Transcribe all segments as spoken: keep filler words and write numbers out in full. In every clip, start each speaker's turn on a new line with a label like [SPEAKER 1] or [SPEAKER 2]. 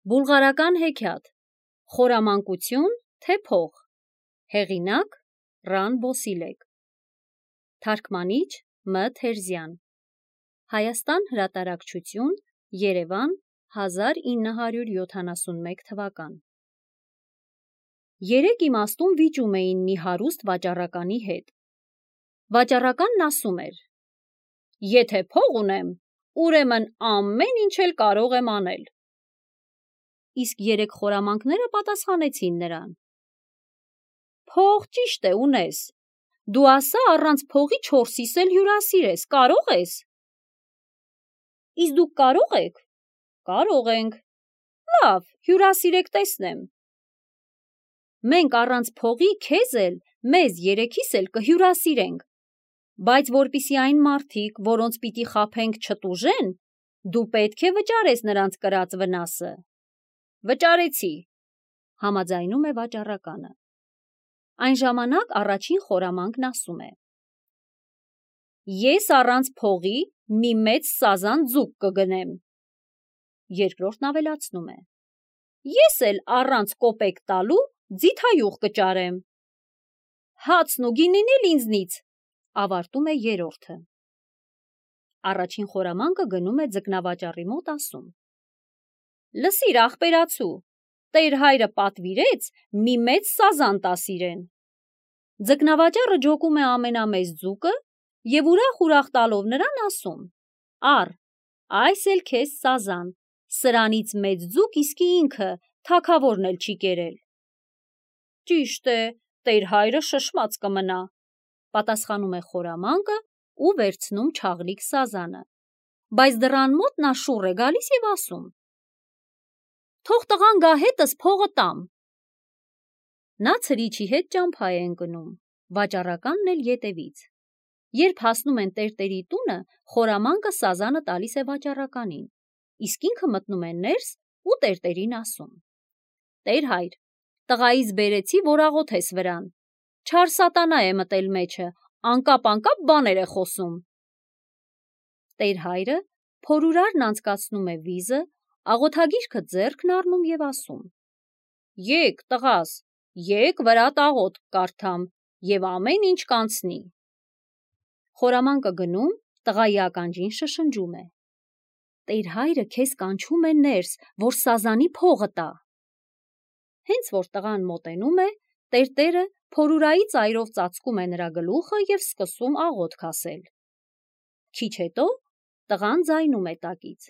[SPEAKER 1] Բուլղարական հեքիաթ Խորամանկություն, թե փող Հեղինակ Ռան Բոսիլեկ Թարգմանիչ Մ Թերզյան Հայաստան հրատարակչություն Երևան հազար ինը հարյուր յոթանասունմեկ թվական Երեք իմաստուն վիճում էին մի հարուստ վաճառականի հետ։ Վաճառականն ասում էր. Եթե փող ունեմ, ուրեմն ամեն ինչ էլ կարող եմ անել։ Իսկ երեք խորամանկները պատասխանեցին նրան. Փող ճիշտ է ունես, դու ասա առանց փողի չորսիս էլ հյուրասիրես, կարող ես։ Իսկ դուք կարող եք։ Կարող ենք։ Լավ, հյուրասիրեք տեսնեմ։ Մենք առանց փողի քեզ էլ, մեզ երեքիս էլ կհյուրասիրենք, բայց որպիսի այն մարդիկ, որոնց պիտի խաբենք չտուժեն, դու պետք է վճարես նրանց կրած վնասը։ Վճարեցի, համաձայնում է վաճառականը։ Այն ժամանակ առաջին խորամանկն ասում է. Ես առանց փողի մի մեծ սազան ձուկ կգնեմ։ Երկրորդն ավելացնում է. Ես էլ առանց կոպեկ տալու ձիթայուղ կճարեմ։ Հացն ու գինին էլ ինձնից, ավարտում է երրորդը։ Առաջին խորամանկը գնում է ձկնավաճառի մոտ ասում. Լսիր ախպերացու, տեր հայրը պատվիրեց մի մեծ սազան տաս իրեն։ Ձկնավաճառը ջոկում է ամենամեծ ձուկը և ուրախ-ուրախ տալով նրան ասում. Առ, այս էլ քեզ սազան, սրանից մեծ ձուկ իսկի ինքը թագավորն էլ չի կերել։ Ճիշտ է, տեր հայրը շշմած կմնա, պատասխանում է խորամանկը ու վերցնում չաղլիկ սազանը, բայց դռան մոտ նա շուռ է գալիս և ասում. Թող տղան գա հետս փողը տամ։ Նա ցրիչի հետ ճամփա է ընկնում, վաճառականն էլ ետևից։ Երբ հասնում են տերտերի տունը, խորամանկը սազանը տալիս է վաճառականին, իսկ ինքը մտնում է ներս ու տերտերին ասում. Տեր հայր, տղայիս բերեցի, որ աղոթես վրան, չար սատանա է մտել մեջը, անկապ-անկապ բաներ է խոսում։ Տեր հայրը փորուրարն անցկացնում է վիզը, աղոթագիրքը ձեռքն առնում և ասում. Եկ, տղաս, եկ վրատ աղոթք կարդամ և ամեն ինչ կանցնի։ Խորամանկը գնում, տղայի ականջին շշնջում է. Տեր հայրը քեզ կանչում է ներս, որ սազանի փողը տա։ Հենց որ տղան մոտենում է, տերտերը փորուրայի ծայրով ծածկում է նրա գլուխը և սկսում աղոթք ասել։ Քիչ հետո տղան ձայնում է տակից.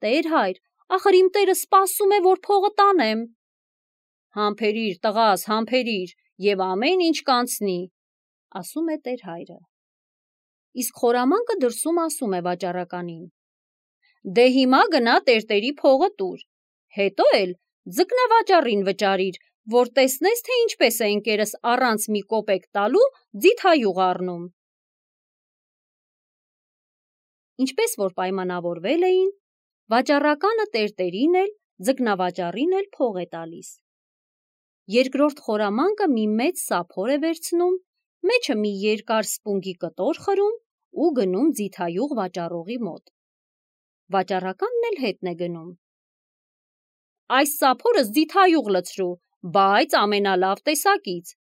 [SPEAKER 1] Տեր հայր, ախր իմ տերը սպասում է, որ փողը տանեմ։ Համբերիր, տղաս, համբերիր, և ամեն ինչ կանցնի, ասում է տեր հայրը։ Իսկ խորամանկը դրսում ասում է վաճառականին. Դե հիմա գնա տերտերի փողը տուր, հետո էլ ձկնավաճառին վճարիր, որ տեսնես, թե ինչպես է ընկերս առանց մի կոպեկ տալու ձիթայուղ առնում։ Ինչպես որ պայմանավորվել էին, վաճառականը տերտերին էլ, ձկնավաճառին էլ փող է տալիս։ Երկրորդ խորամանկը մի մեծ սափոր է վերցնում, մեջը մի երկար սպունգի կտոր խրում ու գնում ձիթայուղ վաճառողի մոտ։ Վաճառականն էլ հետն է գնում։ Այս սափորս ձիթայուղ լցրու, բայց ամենալավ տեսակից։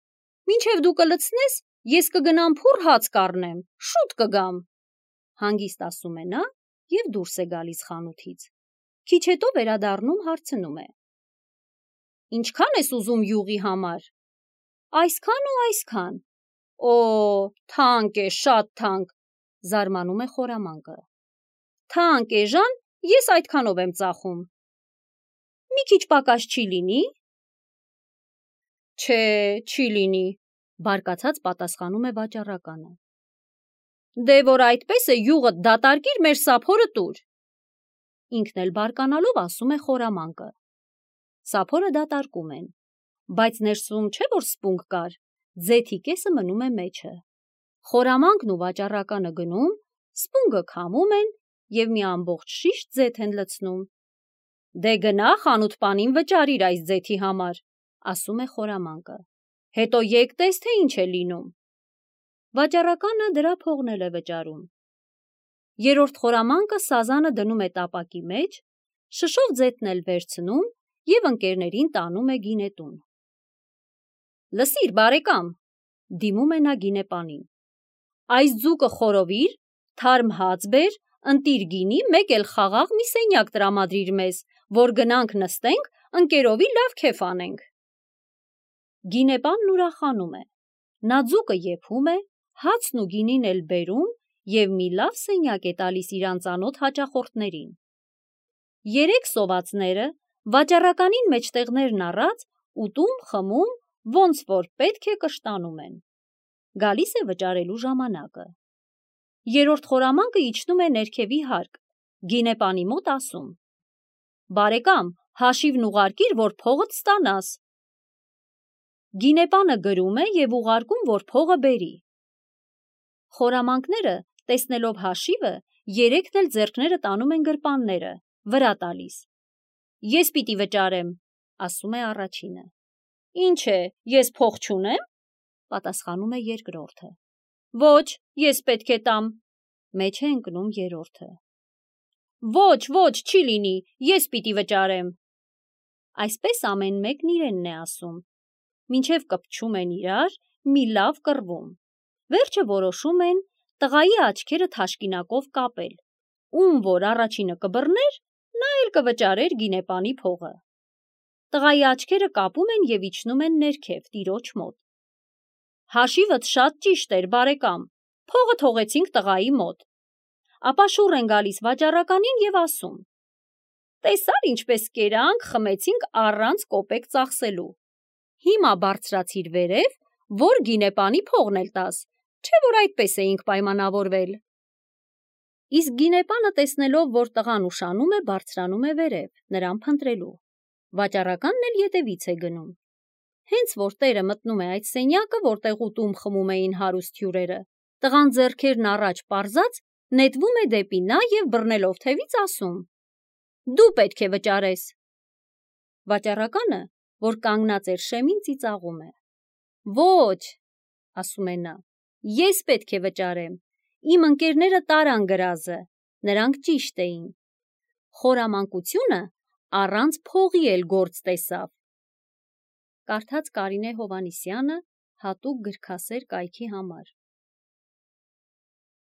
[SPEAKER 1] Մինչև դու կլցնես, ես կգնամ փուռ հաց կառնեմ, շուտ կգամ, հանգիստ ասում է նա և դուրս է գալիս խանութից։ Քիչ հետո վերադառնում հարցնում է. Ինչքան ես ուզում յուղի համար։ Այսքան ու այսքան։ Օ, թանկ է, շատ թանկ, զարմանում է խորամանկը։ Թանկ էժան, ես այդքանով եմ ծախում։ Մի քիչ պակաս չի լինի։ Չէ, չի լինի, բարկացած պատասխանում է վաճառականը։ Դե որ այդպես է, յուղդ դատարկիր, մեր սափորը տուր։ Ինքն էլ բարկանալով ասում է խորամանկը. Սափորը դատարկում են, բայց ներսում չէ որ սպունգ կար, ձեթի կեսը մնում է մեջը։ Խորամանկն ու վաճառականը գնում, սպունգը քամում են և մի ամբողջ շիշ ձեթ են լցնում։ Դե գնա խանութպանին վճարիր այս ձեթի համար, ասում է խորամանկը, հետո եկ տես, թե ինչ է լինում։ Վաճառականը դրա փողն էլ է վճարում։ Երրորդ խորամանկը սազանը դնում է տապակի մեջ, շշով ձետն էլ վերցնում և ընկերներին տանում է գինետուն։ Լսիր, բարեկամ, դիմում է նա գինեպանին, այս ձուկը խորովիր, թարմ հաց բեր, ընտիր գինի, մեկ էլ խաղաղ մի սենյակ տրամադրիր մեզ, որ գնանք նստենք, ընկերովի լավ քեֆ անենք։ Գինեպանն ուրախանում է, նա ձուկը եփում է, հացն ու գինին էլ բերում և մի լավ սենյակ է տալիս իր անծանոթ հաճախորդներին։ Երեք սովածները, վաճառականին մեջտեղներն առած, ուտում, խմում, ոնց որ պետք է կշտանում են։ Գալիս է վճարելու ժամանակը։ Երրորդ խորամանկը իջնում է ներքևի հարկ, գինեպանի մոտ ասում. «Բարեկամ, հաշիվն ուղարկիր, որ փողդ ստանաս»։ Գինեպանը գրում է և ուղարկում, որ փողը բերի։ Խորամանկները, տեսնելով հաշիվը, երեքն էլ ձեռքները տանում են գրպանները, վրա տալիս։ «Ես պիտի վճարեմ», ասում է առաջինը։ «Ինչ է, ես փող չունե՞մ», պատասխանում է երկրորդը։ «Ոչ, ես պետք է տամ», մեջ է ընկնում երրորդը։ «Ոչ, ոչ, չի լինի, ես պիտի վճարեմ»։ Այսպես ամեն մեկն իրենն է ասում, մինչև կպչում են իրար, մի լավ կռվում։ Վերջը որոշում են տղայի աչքերը թաշկինակով կապել, ում որ առաջինը կբռներ, նա էլ կվճարեր գինեպանի փողը։ Տղայի աչքերը կապում են և իջնում են ներքև, տիրոջ մոտ։ «Հաշիվդ շատ ճիշտ էր, բարեկամ, փողը թողեցինք տղայի մոտ»։ Ապա շուռ են գալիս վաճառականին և ասում. «Տեսա՞ր ինչպես կերանք, խմեցինք առանց կոպեկ ծախսելու։ Հիմա բարձրացիր վերև, որ գինեպանի փողն էլ տաս, չէ՞ որ այդպես էինք պայմանավորվել»։ Իսկ գինեպանը, տեսնելով, որ տղան ուշանում է, բարձրանում է վերև, նրան փնտրելու։ Վաճառականն էլ ետևից է գնում։ Հենց որ տերը մտնում է այդ սենյակը, որտեղ ուտում խմում էին հարուստ հյուրերը, տղան ձեռքերն առաջ պարզած նետվում է դեպի նա և բռնելով թևից ասում. «Դու պետք է վճարես»։ Վաճառականը, որ կանգնած էր շեմին, ծիծաղում է. «Ոչ», ասում է նա, «ես պետք է վճարեմ, իմ ընկերները տարան գրազը, նրանք ճիշտ էին։ Խորամանկությունը առանց փողի էլ գործ տեսավ»։ Կարդաց Կարինե Հովհաննիսյանը հատուկ գրքասեր կայքի համար։